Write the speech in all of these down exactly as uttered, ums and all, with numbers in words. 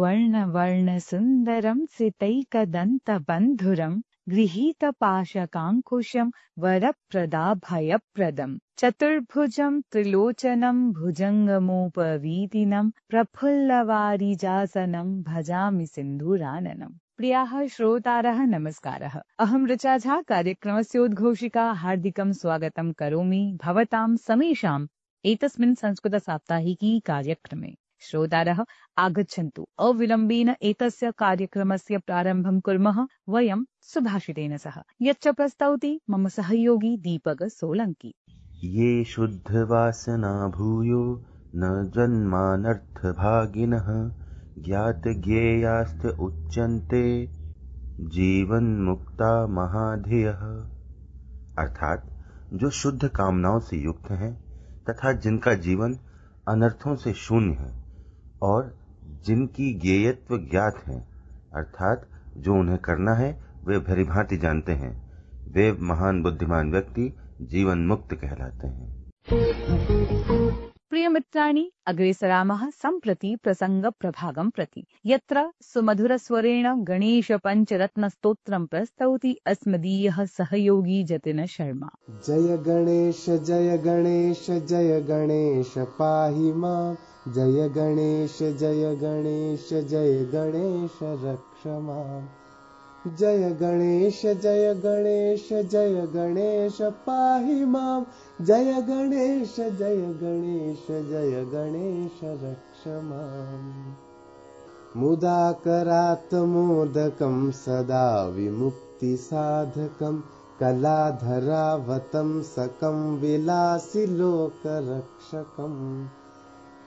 वर्णवर्णसुन्दरं सितैकदन्तबन्धुरं गृहीतपाशकाङ्कुशं वरप्रदाभयप्रदं चतुर्भुजं त्रिलोचनं भुजङ्गमोपवीतिनं प्रफुल्लवारिजासनं भजामि सिन्धुराननम्। प्रियाः श्रोतारः नमस्कारः। अहं ऋचा झा कार्यक्रमस्योद्घोषिका हार्दिकं स्वागतं करोमि भवतां समेषाम् एतस्मिन् संस्कृतसाप्ताहिकी कार्यक्रमे। श्रोतारः आगच्छन्तु अविलम्बेन एतस्य कार्यक्रमस्य प्रारम्भं कुर्मः वयं सुभाषितेन सह, यच्च प्रस्तौति मम सहयोगी दीपक सोलङ्की। ये शुद्धवासना भूयो न जन्मानर्थभागिनः ज्ञातज्ञेयास्त उच्यन्ते जीवन्मुक्ता महाधियः। अर्थात जो शुद्ध कामनाओं से युक्त हैं तथा जिनका जीवन अनर्थों से शून्य है और जिनकी ज्ञेयत्व ज्ञात है, अर्थात जो उन्हें करना है वे भलीभांति जानते हैं, वे महान बुद्धिमान व्यक्ति जीवन मुक्त कहलाते हैं। प्रिय मित्राणि, अग्रे सरामः सम्प्रति प्रसंग प्रभागं प्रति, यत्र सुमधुरस्वरेण गणेश पञ्चरत्नस्तोत्रं प्रस्तौति अस्मदीयः सहयोगी जतिन शर्मा। जय गणेश जय गणेश जय गणेश पाहि मां, जय गणेश जय गणेश जय गणेश रक्ष मां। जय गणेश जय गणेश जय गणेश पाहि मां, जय गणेश जय गणेश जय गणेश रक्ष मां। मुदाकरात् मोदकं सदा विमुक्तिसाधकं कलाधरावतं सकं विलासि लोकरक्षकम्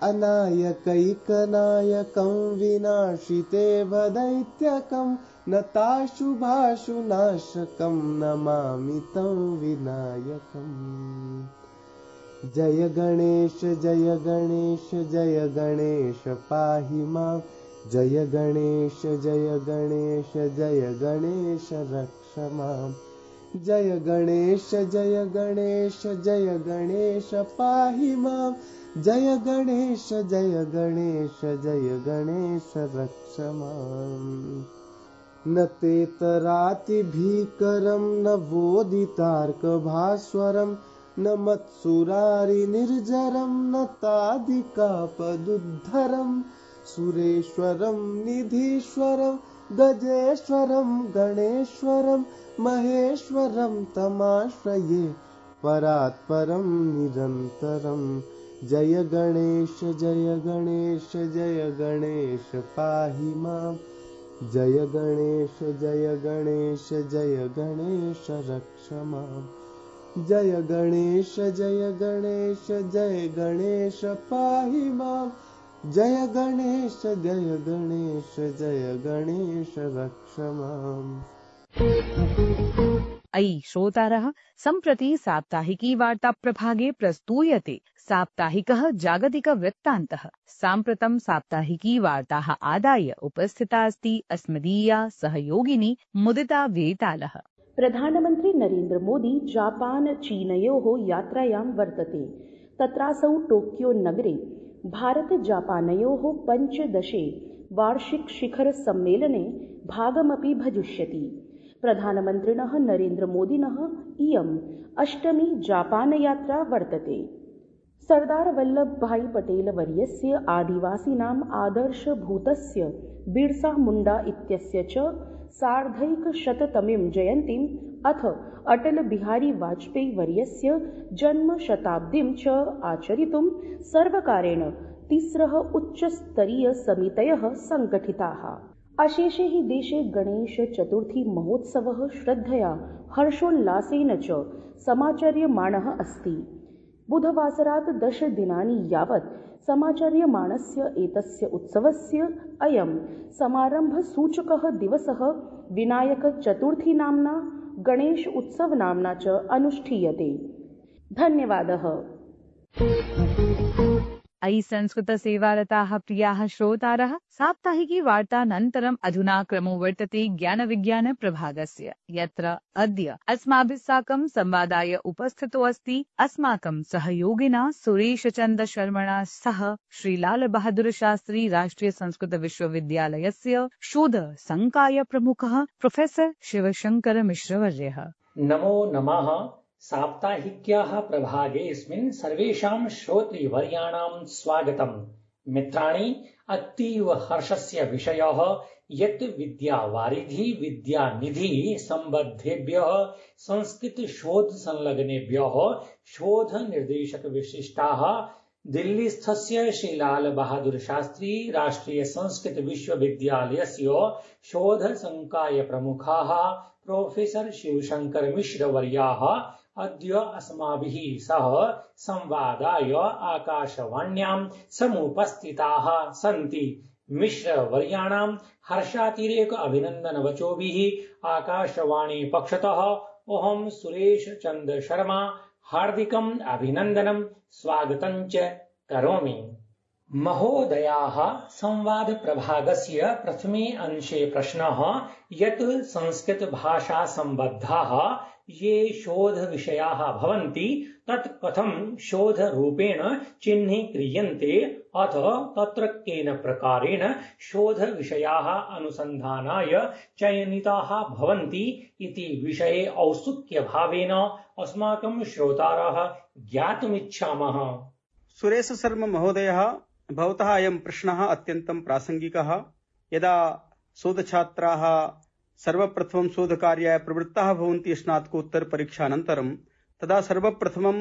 अनायकैकनायकं विनाशिते वदैत्यकं नताशुभाशुनाशकं नमामि तं विनायकम्। जय गणेश जय गणेश जय गणेश पाहि मां, जय गणेश जय गणेश जय गणेश रक्ष मां। जय गणेश जय गणेश जय गणेश पाहि मां, जय गणेश जय गणेश जय गणेश रक्ष मां। न तेतरातिभीकरं न वोदितार्कभास्वरं न मत्सुरारिनिर्जरं न तादिकापदुद्धरं सुरेश्वरं निधीश्वरं गजेश्वरं गणेश्वरं महेश्वरं तमाश्रये परात्परं निरन्तरम्। जय गणेश जय गणेश जय गणेश पाहि मां, जय गणेश जय गणेश जय गणेश रक्ष मां। जय गणेश जय गणेश जय गणेश पाहि मां, जय गणेश जय गणेश जय गणेश रक्ष माम्। अयि श्रोतारः, सम्प्रति साप्ताहिकी वार्ता प्रभागे प्रस्तूयते साप्ताहिकः जागतिकवृत्तान्तः। साम्प्रतं साप्ताहिकी वार्ताः आदाय उपस्थिता अस्ति अस्मदीया सहयोगिनी मुदिता वेतालः। प्रधानमन्त्री नरेन्द्र मोदी जापान चीनयोः यात्रायां वर्तते। तत्रासौ टोक्यो नगरे भारत जापानयोः पञ्चदशे वार्षिक शिखर सम्मेलने भागमपि भजिष्यति। प्रधानमन्त्रिणः नरेन्द्र मोदिनः इयम् अष्टमी जापान यात्रा वर्तते। सरदार वल्लभभाई पटेल वर्यस्य आदिवासीनाम् आदर्शभूतस्य बिरसा मुण्डा इत्यस्य च सार्धैकशततमीं जयन्तीम् अथ अटल बिहारी वाजपेयी वर्यस्य जन्मशताब्दीं च आचरितुं सर्वकारेण तिस्रः उच्चस्तरीय समितयः संगठिताः। अशेषे हि देशे गणेश चतुर्थी महोत्सवः श्रद्धया हर्षोल्लासेन च समाचर्यमाणः अस्ति। बुधवासरात् दश दिनानि यावत् समाचर्यमाणस्य एतस्य उत्सवस्य अयं समारम्भसूचकः दिवसः विनायक चतुर्थी नाम्ना गणेश उत्सव नाम्ना च अनुष्ठीयते। धन्यवादः। अयि संस्कृतसेवारताः प्रियाः श्रोतारः, साप्ताहिकी वार्तानन्तरम् अधुना क्रमो वर्तते ज्ञानविज्ञानप्रभागस्य, यत्र अद्य अस्माभिः साकं संवादाय उपस्थितो अस्ति अस्माकं सहयोगिना सुरेशचन्द्रशर्मणा सह श्रीलालबहादुरशास्त्री राष्ट्रिय संस्कृत विश्वविद्यालयस्य शोध संकाय प्रमुखः प्रोफेसर शिवशंकर मिश्रवर्यः। नमो नमः। साप्ताहिक्याः प्रभागेऽस्मिन् सर्वेषां श्रोतृवर्याणां स्वागतम्। मित्राणि, अतीव हर्षस्य विषयः यत् विद्यावारिधि विद्यानिधि सम्बद्धेभ्यः संस्कृत शोध संलग्नेभ्यः शोध निर्देशक विशिष्टाः दिल्लीस्थस्य श्रीलाल बहादुर शास्त्री राष्ट्रिय संस्कृत विश्वविद्यालयस्य शोध संकाय प्रमुखाः प्रोफेसर शिवशंकर मिश्रवर्याः अद्य अस्माभिः सह संवादाय आकाशवाण्यां समुपस्थिताः सन्ति। मिश्रवर्याणां हर्षातिरेक अभिनन्दनवचोभिः आकाशवाणी पक्षतः अहं सुरेश चन्द्र शर्मा हार्दिकम् अभिनन्दनं स्वागतं च करोमि। महोदयाः, संवाद प्रभागस्य प्रथमे अंशे प्रश्नः यत् संस्कृत भाषा सम्बद्धाः ये शोध विषयाः भवन्ति तत् कथं शोध रूपेण चिह्नीक्रियन्ते अथ तत्र केन प्रकारेण शोध विषयाः अनुसन्धानाय चयनिताः भवन्ति इति विषये औत्सुक्य भावेन अस्माकं श्रोतारः ज्ञातुमिच्छामः। सुरेश शर्मा महोदयः, भवतः अयं प्रश्नः अत्यन्तं प्रासङ्गिकः। यदा शोधछात्राः सर्वप्रथमं शोधकार्याय प्रवृत्ताः भवन्ति स्नातकोत्तर परीक्षानन्तरं, तदा सर्वप्रथमं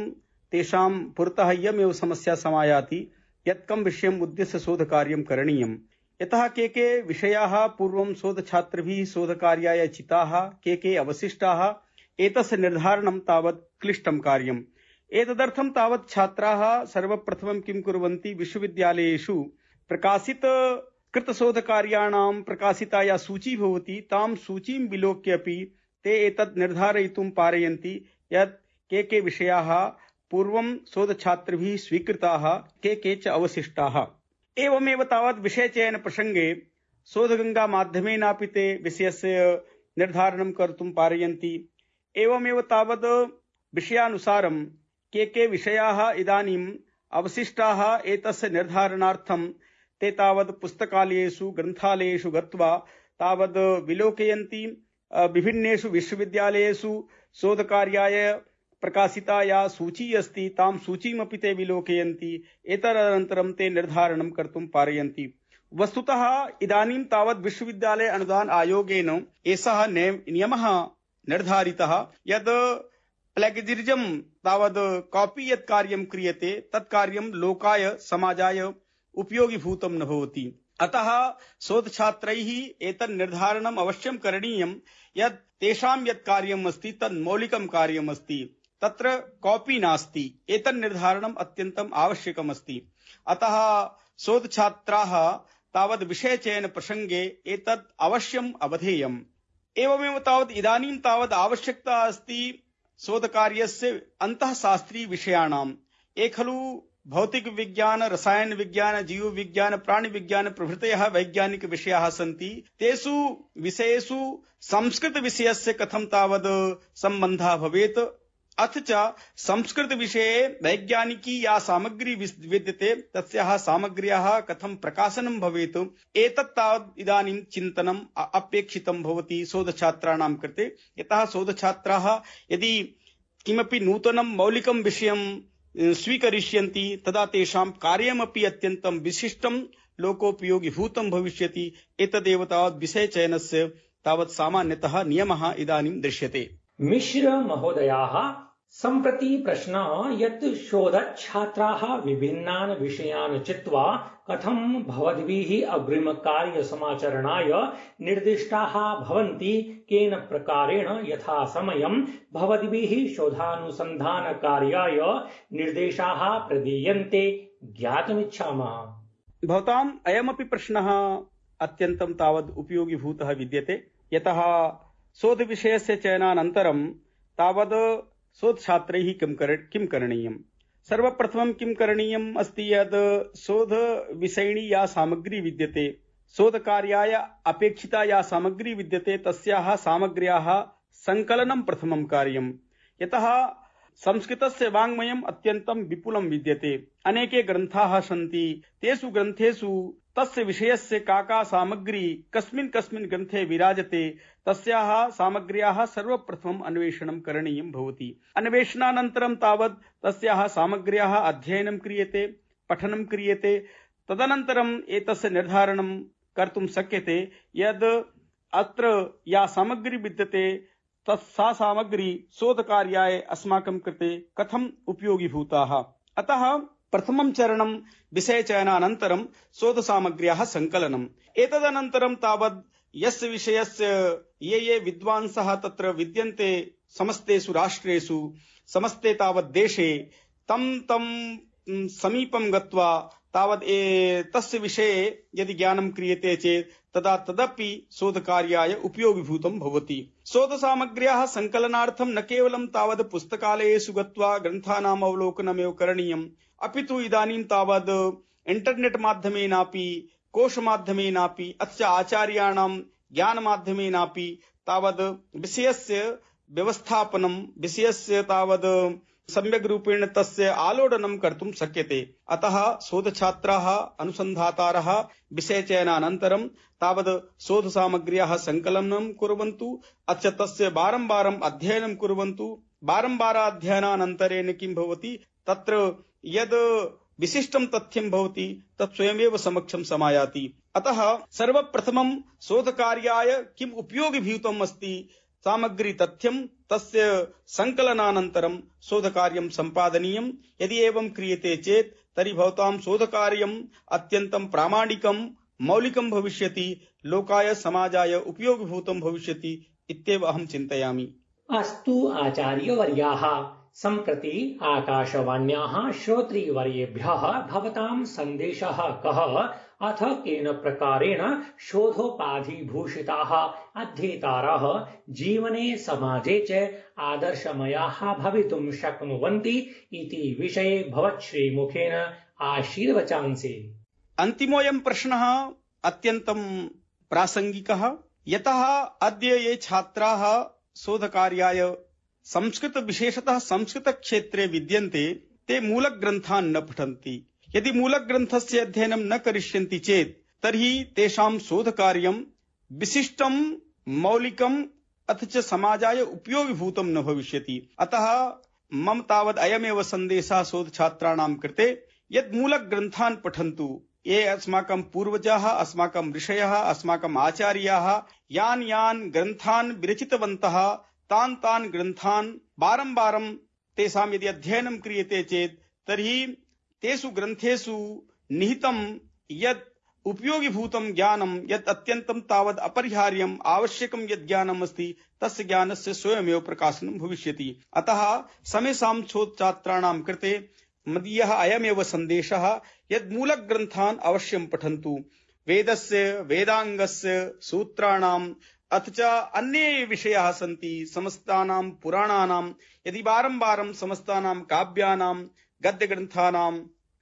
तेषां पुरतः इयमेव समस्या समायाति यत् कं विषयम् उद्देश्य शोधकार्यं करणीयम्। यतः के के विषयाः पूर्वं शोधछात्रिभिः शोधकार्याय चिताः, के के अवशिष्टाः, एतस्य निर्धारणं तावत् क्लिष्टं कार्यम्। एतदर्थं तावत् छात्राः सर्वप्रथमं किं कुर्वन्ति, विश्वविद्यालयेषु प्रकाशित कृतशोधकार्याणां प्रकाशिता या सूची भवति तां सूचीं विलोक्य अपि ते एतत् निर्धारयितुं पारयन्ति यत् के के विषयाः पूर्वं शोधछात्रिभिः स्वीकृताः, के के च अवशिष्टाः। एवमेव तावत् विषयचयन प्रसङ्गे शोधगङ्गा माध्यमेनापि ते विषयस्य निर्धारणं कर्तुं पारयन्ति। एवमेव तावत् विषयानुसारं के के विषयाः इदानीम् अवशिष्टाः एतस्य निर्धारणार्थं ते तावत् पुस्तकालयेषु ग्रन्थालयेषु गत्वा तावत् विलोकयन्ति। विभिन्नेषु विश्वविद्यालयेषु शोधकार्याय प्रकाशिता या सूची अस्ति तां सूचीमपि ते विलोकयन्ति। एतदनन्तरं ते निर्धारणं कर्तुं पारयन्ति। वस्तुतः इदानीं तावत् विश्वविद्यालय अनुदान आयोगेन एषः नियमः निर्धारितः यत् प्लेगियरिजम तावत् कॉपी यत् कार्यं क्रियते तत् कार्यं लोकाय समाजाय उपयोगीभूतं न भवति। अतः शोधछात्रैः एतत् निर्धारणम् अवश्यं करणीयं यत् तेषां यत् कार्यम् अस्ति तत् मौलिकं कार्यम् अस्ति, तत्र कॉपी नास्ति। एतत् निर्धारणम् अत्यन्तम् आवश्यकम् अस्ति। अतः शोधछात्राः तावत् विषयचयन प्रसङ्गे एतत् अवश्यम् अवधेयम्। एवमेव तावत् इदानीं तावत् आवश्यकता अस्ति शोधकार्यस्य अन्तःशास्त्रीय विषयाणाम्। ये खलु भौतिक विज्ञान, रसायन विज्ञान, जीव विज्ञान, प्राणि विज्ञान प्रभृतयः वैज्ञानिक विषयाः सन्ति। तेषु विषयेषु संस्कृत विषयस्य कथं तावत् सम्बन्धः भवेत्, अथ च संस्कृत विषये वैज्ञानिकी या सामग्री विद्यते तस्याः सामग्र्याः कथं प्रकाशनं भवेत्, एतत् तावत् इदानीं चिन्तनम् अपेक्षितं भवति शोधछात्राणां कृते। यतः शोधछात्राः यदि किमपि नूतनं मौलिकं विषयं स्वीकरिष्यन्ति तदा तेषां कार्यमपि अत्यन्तं विशिष्टं लोकोपयोगीभूतं भविष्यति। एतदेव तावत् विषयचयनस्य तावत् सामान्यतः नियमः इदानीं दृश्यते। मिश्र महोदयाः, सम्प्रति प्रश्नः यत् शोधछात्राः विभिन्नान् विषयान् चित्वा कथं भवद्भिः अग्रिमकार्यसमाचरणाय निर्दिष्टाः भवन्ति, केन प्रकारेण यथा समयं भवद्भिः शोधानुसन्धानकार्याय निर्देशाः प्रदीयन्ते ज्ञातुमिच्छामः। भवताम् अयमपि प्रश्नः अत्यन्तं तावत् उपयोगीभूतः विद्यते। यतः शोधविषयस्य चयनानन्तरं तावत् शोधछात्रैः किं कर किं करणीयम्। सर्वप्रथमं किं करणीयम् अस्ति यद् शोधविषयिणी या सामग्री विद्यते, शोधकार्याय अपेक्षिता या सामग्री विद्यते, तस्याः सामग्र्याः सङ्कलनं प्रथमं कार्यम्। यतः संस्कृतस्य वाङ्मयम् अत्यन्तं विपुलं विद्यते, अनेके ग्रन्थाः सन्ति, तेषु ग्रन्थेषु तस्य विषयस्य का का सामग्री कस्मिन् कस्मिन् ग्रन्थे विराजते तस्याः सामग्र्याः सर्वप्रथमम् अन्वेषणं करणीयं भवति। अन्वेषणानन्तरं तावत् तस्याः सामग्र्याः अध्ययनं क्रियते, पठनं क्रियते। तदनन्तरम् एतस्य निर्धारणं कर्तुं शक्यते यद् अत्र या सामग्री विद्यते तत्सा सामग्री शोधकार्याय अस्माकं कृते कथम् उपयोगीभूताः। अतः प्रथमं चरणं विषयचयनानन्तरं शोधसामग्र्याः सङ्कलनम्। एतदनन्तरं तावत् यस्य विषयस्य ये ये विद्वांसः तत्र विद्यन्ते समस्तेषु राष्ट्रेषु, समस्ते तावत् देशे, तं तं समीपं गत्वा तावत् तस्य विषये यदि ज्ञानं क्रियते चेत् तदा तदपि शोधकार्याय उपयोगीभूतं भवति। शोधसामग्र्याः सङ्कलनार्थं न केवलं तावत् पुस्तकालयेषु गत्वा ग्रन्थानाम् अवलोकनमेव करणीयम्, अपि तु इदानीं तावत् इण्टर्नेट् माध्यमेनापि, कोशमाध्यमेनापि, अस्य आचार्याणां ज्ञानमाध्यमेनापि तावत् विषयस्य व्यवस्थापनं, विषयस्य तावत् सम्यक् रूपेण तस्य आलोडनं कर्तुं शक्यते। अतः शोधछात्राः, अनुसन्धातारः विषयचयनानन्तरं तावत् शोधसामग्र्याः सङ्कलनं कुर्वन्तु, अथ तस्य वारं वारम् अध्ययनं कुर्वन्तु। वारं वाराध्ययनानन्तरेण किं भवति, तत्र यद् विशिष्टं तथ्यं भवति तत् स्वयमेव समक्षं समायाति। अतः सर्वप्रथमं शोधकार्याय किम् उपयोगीभूतम् अस्ति सामग्री तथ्यं, तस्य सङ्कलनानन्तरं शोधकार्यं सम्पादनीयम्। यदि एवं क्रियते चेत् तर्हि भवतां शोधकार्यम् अत्यन्तं प्रामाणिकं, मौलिकं भविष्यति, लोकाय समाजाय उपयोगीभूतं भविष्यति इत्येव अहं चिन्तयामि। अस्तु आचार्यवर्याः, सम्प्रति आकाशवाण्याः श्रोतृवर्येभ्यः भवतां सन्देशः कः, अथ केन प्रकारेण शोधोपाधिभूषिताः अध्येतारः जीवने समाजे च आदर्शमयाः भवितुं शक्नुवन्ति इति विषये भवच्छ्रीमुखेन आशीर्वचांसि। अन्तिमोऽयं प्रश्नः अत्यन्तं प्रासङ्गिकः, यतः अद्य ये छात्राः शोधकार्याय संस्कृत विशेषतः संस्कृतक्षेत्रे विद्यन्ते ते मूलग्रन्थान् न पठन्ति। यदि मूलग्रन्थस्य अध्ययनं न करिष्यन्ति चेत् तर्हि तेषां शोधकार्यं विशिष्टं, मौलिकम् अथ च समाजाय उपयोगीभूतं न भविष्यति। अतः मम तावत् अयमेव सन्देशः शोधछात्राणां कृते यत् मूलग्रन्थान् पठन्तु। ये अस्माकं पूर्वजाः, अस्माकं ऋषयः, अस्माकम् आचार्याः यान् यान् ग्रन्थान् विरचितवन्तः तान् तान् ग्रन्थान् वारं वारं तेषां यदि अध्ययनं क्रियते चेत् तर्हि तेषु ग्रन्थेषु निहितं यत् उपयोगीभूतं ज्ञानं, यत् अत्यन्तं तावत् अपरिहार्यम् आवश्यकं यत् ज्ञानम् अस्ति तस्य ज्ञानस्य स्वयमेव प्रकाशनं भविष्यति। अतः समेषां शोधछात्राणां कृते मदीयः अयमेव सन्देशः यत् मूलग्रन्थान् अवश्यं पठन्तु। वेदस्य, वेदाङ्गस्य, सूत्राणाम् अथ च अन्ये विषयाः सन्ति, समस्तानां पुराणानां, यदि वारं वारं समस्तानां काव्यानां, गद्यग्रन्थानां,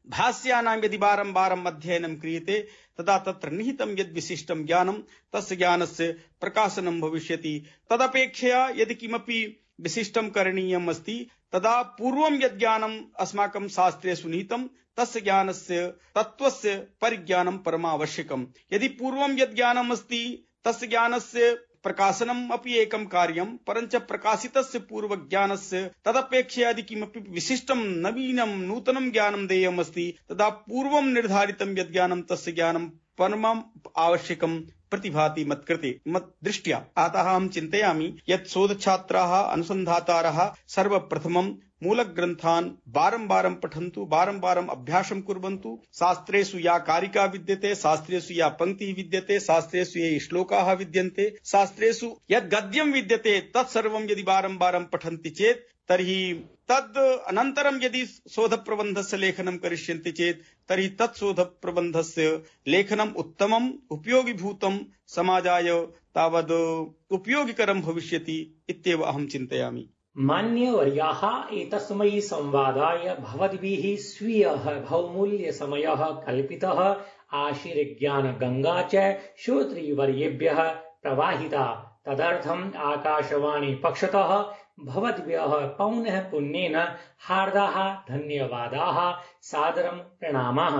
भाष्यानां यदि वारं वारम् अध्ययनं क्रियते तदा तत्र निहितं यद् विशिष्टं ज्ञानं तस्य ज्ञानस्य प्रकाशनं भविष्यति। तदपेक्षया यदि किमपि विशिष्टं करणीयम् अस्ति तदा पूर्वं यद् ज्ञानम् अस्माकं शास्त्रेषु निहितं तस्य ज्ञानस्य, तत्त्वस्य परिज्ञानं परमावश्यकम्। यदि पूर्वं यद् ज्ञानम् अस्ति तस्य ज्ञानस्य प्रकाशनम् अपि एकं कार्यं, परञ्च प्रकाशितस्य पूर्वज्ञानस्य तदपेक्षया यदि किमपि विशिष्टं, नवीनं, नूतनं ज्ञानं देयम् अस्ति तदा पूर्वं निर्धारितं यद् ज्ञानं तस्य ज्ञानं परमम् आवश्यकं प्रतिभाति मत्कृते, मत् दृष्ट्या। अतः अहं चिन्तयामि यत् शोधछात्राः, अनुसन्धातारः सर्वप्रथमं मूलग्रन्थान् वारं वारं पठन्तु, वारं वारम् अभ्यासं कुर्वन्तु। शास्त्रेषु या कारिका विद्यते, शास्त्रेषु या पङ्क्तिः विद्यते, शास्त्रेषु ये श्लोकाः विद्यन्ते, शास्त्रेषु यद् गद्यं विद्यते तत्सर्वं यदि वारं वारं पठन्ति चेत् तर्हि तद् अनन्तरं यदि शोधप्रबन्धस्य लेखनं करिष्यन्ति चेत् तर्हि तत् शोधप्रबन्धस्य लेखनम् उत्तमम्, उपयोगीभूतं, समाजाय तावद् उपयोगिकरं भविष्यति इत्येव अहं चिन्तयामि। मान्यवर्याः एतस्मै संवादाय भवद्भिः स्वीयः बहुमूल्यसमयः कल्पितः। आशीर्ज्ञानगङ्गा च श्रोतृवर्येभ्यः प्रवाहिता। तदर्थम् आकाशवाणी पक्षतः भवद्भ्यः पौनः पुन्येन हार्दाः धन्यवादाः, सादरं प्रणामाः।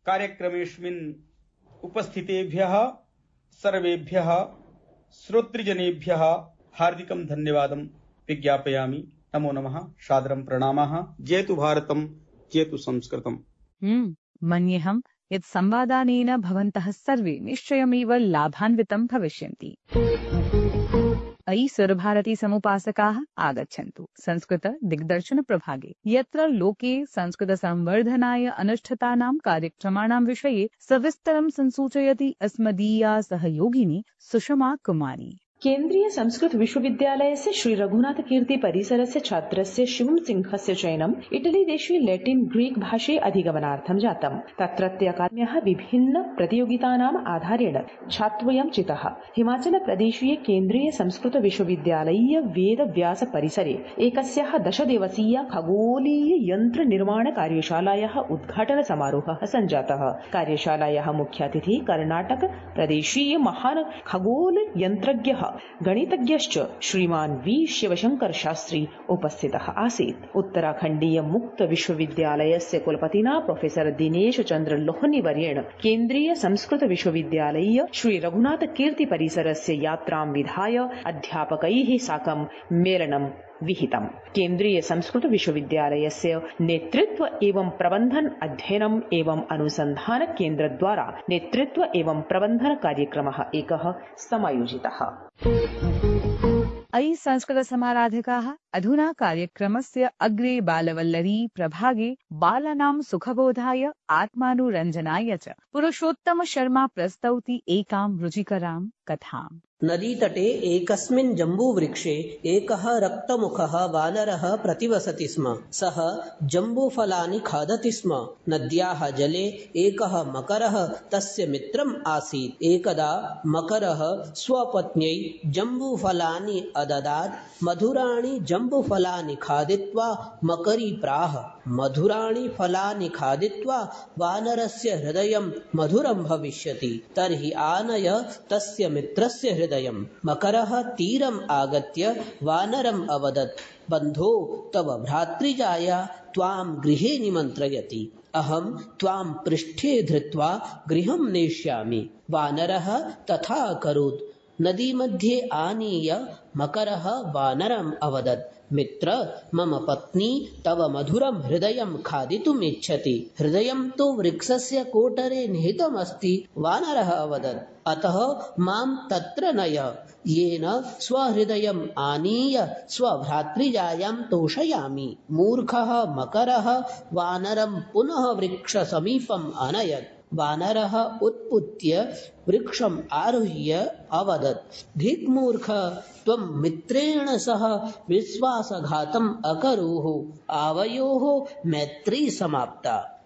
कार्यक्रमेऽस्मिन् उपस्थितेभ्यः सर्वेभ्यः श्रोतृजनेभ्यः हार्दिकं धन्यवादं विज्ञापयामि। नमो नमः, सादरं प्रणामाः। जयतु भारतं, जयतु संस्कृतम्। हम्म मन्येऽहं यत् संवादानेन भवन्तः सर्वे निश्चयमेव लाभान्वितं भविष्यन्ति। अयि सुरभारती समुपासकाः आगच्छन्तु संस्कृत दिग्दर्शन प्रभागे, यत्र लोके संस्कृत संवर्धनाय अनुष्ठितानां कार्यक्रमाणां विषये सविस्तरं संसूचयति अस्मदीया सहयोगिनी सुषमा कुमारी। केन्द्रीय संस्कृत विश्वविद्यालयस्य श्री रघुनाथ कीर्ति परिसरस्य छात्रस्य शिवं सिंहस्य चयनम् इटली देशे लैटिन ग्रीक भाषे अधिगमनार्थं जातम्। तत्रत्य अकादम्याः विभिन्न प्रतियोगितानाम् आधारेण छात्रद्वयं चितः। हिमाचल प्रदेशीय केन्द्रीय संस्कृत विश्वविद्यालयीय वेद व्यास परिसरे एकस्याः दश दिवसीय खगोलीय यन्त्र निर्माण कार्यशालायाः उद्घाटन समारोहः सञ्जातः। कार्यशालायाः मुख्यातिथि कर्णाटक प्रदेशीय महान् खगोल यन्त्रज्ञः गणितज्ञश्च श्रीमान वी शिवशंकर शास्त्री उपस्थितः आसीत्। उत्तराखण्डीय मुक्त विश्वविद्यालयस्य कुलपतिना प्रोफेसर दिनेश चंद्र लोहनी वर्येण केन्द्रीय संस्कृत विश्वविद्यालयीय श्री रघुनाथ कीर्ति परिसरस्य यात्रां विधाय अध्यापकैः साकं मेलनं विहितम्। केन्द्रीय संस्कृत विश्वविद्यालयस्य नेतृत्व एवं प्रबन्धन अध्ययनम् एवं अनुसन्धान केन्द्र द्वारा नेतृत्व एवं प्रबन्धन कार्यक्रमः एकः समायोजितः। अयि संस्कृत समाराधकाः अधुना कार्यक्रमस्य अग्रे बालवल्लरी प्रभागे बालानां सुखबोधाय आत्मानुरञ्जनाय च पुरुषोत्तम शर्मा प्रस्तौति एकां रुचिकरां कथाम्। नदीतटे एकस्मिन् जम्बूवृक्षे एकः रक्तमुखः वानरः प्रतिवसति स्म। सः जम्बूफलानि खादति स्म। नद्याः जले एकः मकरः तस्य मित्रम् आसीत्। एकदा मकरः स्वपत्न्यै जम्बूफलानि अददात्। मधुराणि जम्बूफलानि खादित्वा मकरी प्राह, मधुराणि फलानि खादित्वा वानरस्य हृदयं मधुरं भविष्यति, तर्हि आनय तस्य मित्रस्य हृदयं। मकरः तीरम् आगत्य वानरम् अवदत्, बन्धो तव भ्रातृजाया त्वां गृहे निमन्त्रयति। अहं त्वां पृष्ठे धृत्वा गृहं नेष्यामि। वानरः तथा अकरोत्। नदी मध्ये आनीय मकरः वानरम् अवदत्, मित्र, मम पत्नी तव मधुरं हृदयं खादितुम् इच्छति। हृदयं तु वृक्षस्य कोटरे निहितमस्ति। वानरः अवदत्, अतः मां तत्र नय, येन स्वहृदयम् आनीय स्वभ्रातृजायां तोषयामि। मूर्खः मकरः वानरं पुनः वृक्षसमीपम् अनयत्। वानरः उत्पुत्य वृक्षम् आरुह्य अवदत्, धिक्मूर्ख, त्वं मित्रेण सह विश्वासघातम् अकरोः। आवयोः मैत्री समाप्ता।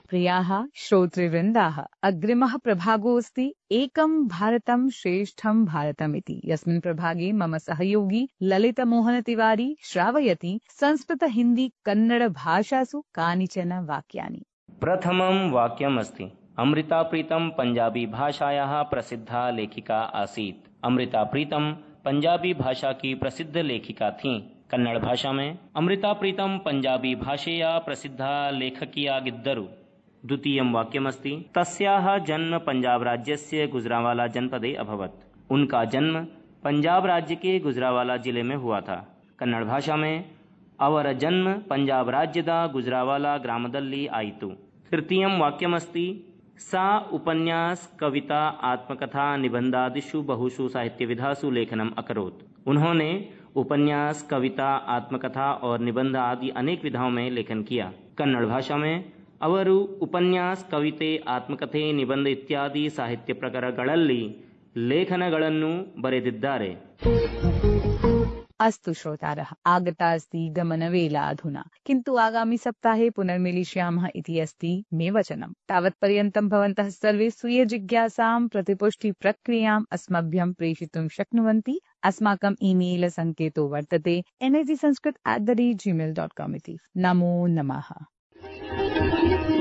प्रियाः श्रोतृवृन्दाः, अग्रिमः प्रभागोऽस्ति एकं भारतं श्रेष्ठं भारतमिति, यस्मिन् प्रभागे मम सहयोगी ललितमोहन तिवारी श्रावयति संस्कृत हिन्दी कन्नड भाषासु कानिचन वाक्यानि। प्रथमं वाक्यमस्ति, अमृता प्रीतम पंजाबी भाषायाः प्रसिद्धा लेखिका आसीत्। अमृता प्रीतम पंजाबी भाषा की प्रसिद्ध लेखिका थीं। कन्नड़ भाषा में अमृता प्रीतम पंजाबी भाषया प्रसिद्धा लेखकियागिद्दरु। द्वितीयं वाक्यमस्ति, तस्याः जन्म पंजाब राज्यस्य गुजरांवाला जनपदे अभवत्। उनका जन्म पंजाब राज्य के गुजरांवाला जिले में हुआ था। कन्नड़ भाषा में अवर जन्म पंजाब राज्यदा गुजरांवाला ग्रामदल्ली आयितु। तृतीयं वाक्यमस्ति, सा उपन्यास कविता आत्मकथा निबंधादिषु बहुषु साहित्यविधासु लेखनम अकरोत्। उन्होंने उपन्यास कविता आत्मकथा और निबंध आदि अनेक विधाओं में लेखन किया। कन्नड़ भाषा में ಅವರು ಉಪನ್ಯಾಸ ಕವಿತೆ ಆತ್ಮಕಥೆ ನಿಬಂಧ ಇತ್ಯಾದಿ ಸಾಹಿತ್ಯ ಪ್ರಕಾರಗಳಲ್ಲಿ ಲೇಖನಗಳನ್ನು ಬರೆದಿದ್ದಾರೆ। अस्तु श्रोतारः, आगता अस्ति गमनवेला अधुना, किन्तु आगामि सप्ताहे पुनर्मिलिष्यामः इति अस्ति मे वचनम्। तावत्पर्यन्तं भवन्तः सर्वे स्वीय जिज्ञासां प्रतिपुष्टिप्रक्रियाम् अस्मभ्यं प्रेषितुं शक्नुवन्ति। अस्माकम् ईमेल सङ्केतो वर्तते N A G Sanskrit at the rate Gmail dot com इति। नमो नमः।